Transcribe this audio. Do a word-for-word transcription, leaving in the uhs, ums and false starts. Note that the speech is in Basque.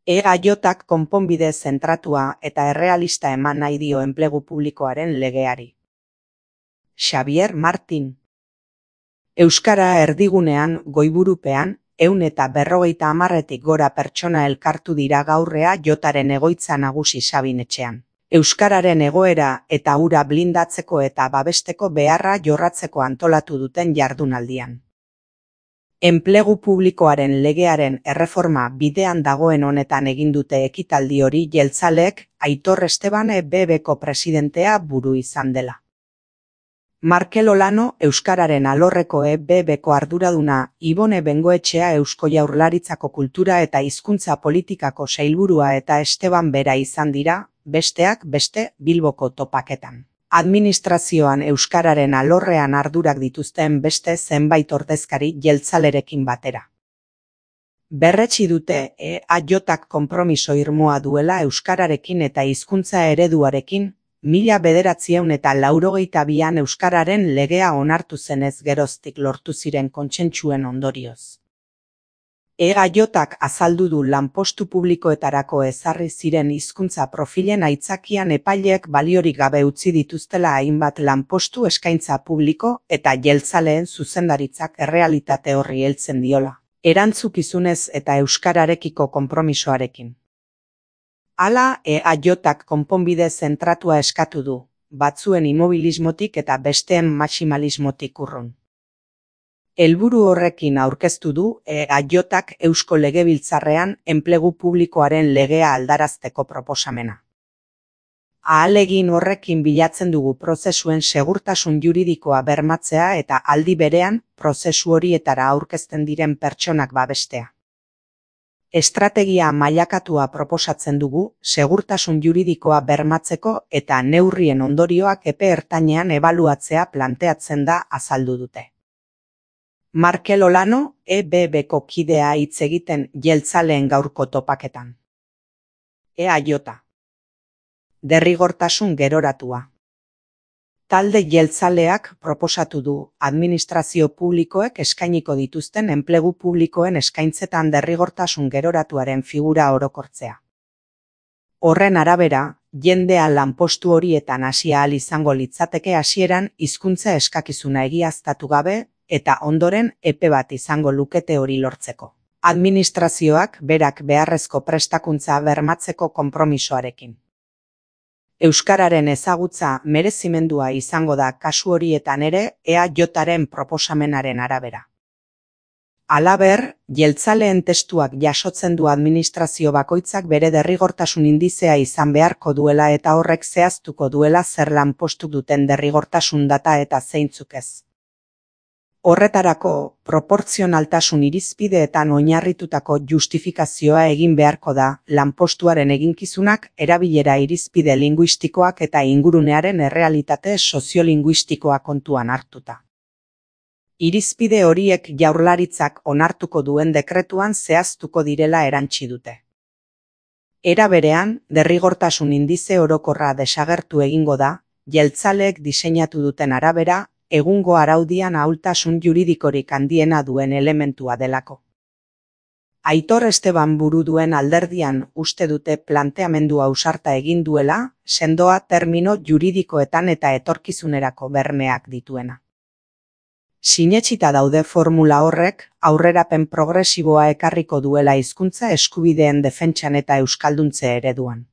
E-gaiotak konponbide zentratua eta errealista eman nahi dio enplegu publikoaren legeari. Xabier Martin. Euskara erdigunean goiburupean, ehun eta berrogeita hamarretik gora pertsona elkartu dira gaurrea jotaren egoitza nagusi Sabinetxean. Euskararen egoera eta hura blindatzeko eta babesteko beharra jorratzeko antolatu duten jardunaldian. Enplegu publikoaren legearen erreforma bidean dagoen honetan egin dute ekitaldi hori jeltzaleek Aitor Esteban E B Bko presidentea buru izan dela. Markel Olano Euskararen alorreko E B Bko arduraduna, Ibone Bengoetxea Eusko Jaurlaritzako kultura eta hizkuntza politikako sailburua eta Esteban bera izan dira, besteak beste Bilboko topaketan. Administrazioan Euskararen alorrean ardurak dituzten beste zenbait ordezkari jeltzalerekin batera. Berretsi dute E-gaiotak konpromiso irmoa duela Euskararekin eta hizkuntza ereduarekin, mila bederatziehun eta laurogeita bian Euskararen legea onartu zenez geroztik lortu ziren kontsentsuen ondorioz. E-gaiotak azaldu du lanpostu publikoetarako ezarri ziren hizkuntza profilen aitzakian epaileek baliorik gabe utzi dituztela hainbat lanpostu eskaintza publiko eta jeltzaleen zuzendaritzak errealitate horri heltzen diola, erantzukizunez eta euskararekiko konpromisoarekin. Hala, E-gaiotak konponbide zentratua eskatu du, batzuen immobilismotik eta besteen maximalismotik urrun. Helburu horrekin aurkeztu du E-gaiotak Eusko Legebiltzarrean enplegu publikoaren legea aldarazteko proposamena. Ahalegin horrekin bilatzen dugu prozesuen segurtasun juridikoa bermatzea eta aldi berean prozesu horietara aurkezten diren pertsonak babestea. Estrategia mailakatua proposatzen dugu segurtasun juridikoa bermatzeko eta neurrien ondorioak epe ertainean ebaluatzea planteatzen da azaldu dute. Markel Olano, E B Bko kidea hitz egiten jeltzaleen gaurko topaketan. E-gaiota. Derrigortasun geroratua. Talde jeltzaleak proposatu du administrazio publikoek eskainiko dituzten enplegu publikoen eskaintzetan derrigortasun geroratuaren figura orokortzea. Horren arabera, jendea lanpostu horietan hasi ahal izango litzateke hasieran hizkuntza eskakizuna egiaztatu gabe, eta ondoren epe bat izango lukete hori lortzeko. Administrazioak berak beharrezko prestakuntza bermatzeko konpromisoarekin. Euskararen ezagutza merezimendua izango da kasu horietan ere E-gaioaren proposamenaren arabera. Halaber, jeltzaleen testuak jasotzen du administrazio bakoitzak bere derrigortasun indizea izan beharko duela eta horrek zehaztuko duela zer lanpostu duten derrigortasun data eta zeintzuk ez. Horretarako, proportzionaltasun irizpideetan oinarritutako justifikazioa egin beharko da lanpostuaren eginkizunak erabilera irizpide linguistikoak eta ingurunearen errealitate soziolinguistikoa kontuan hartuta. Irizpide horiek Jaurlaritzak onartuko duen dekretuan zehaztuko direla erantsi dute. Era berean, derrigortasun indize orokorra desagertu egingo da, jeltzaleek diseinatu duten arabera, egungo araudian ahultasun juridikorik handiena duen elementua delako. Aitor Esteban buru duen alderdian uste dute planteamendu ausarta egin duela, sendoa termino juridikoetan eta etorkizunerako bermeak dituena. Sinetsita daude formula horrek, aurrerapen progresiboa ekarriko duela hizkuntza eskubideen defentsan eta euskalduntze ereduan.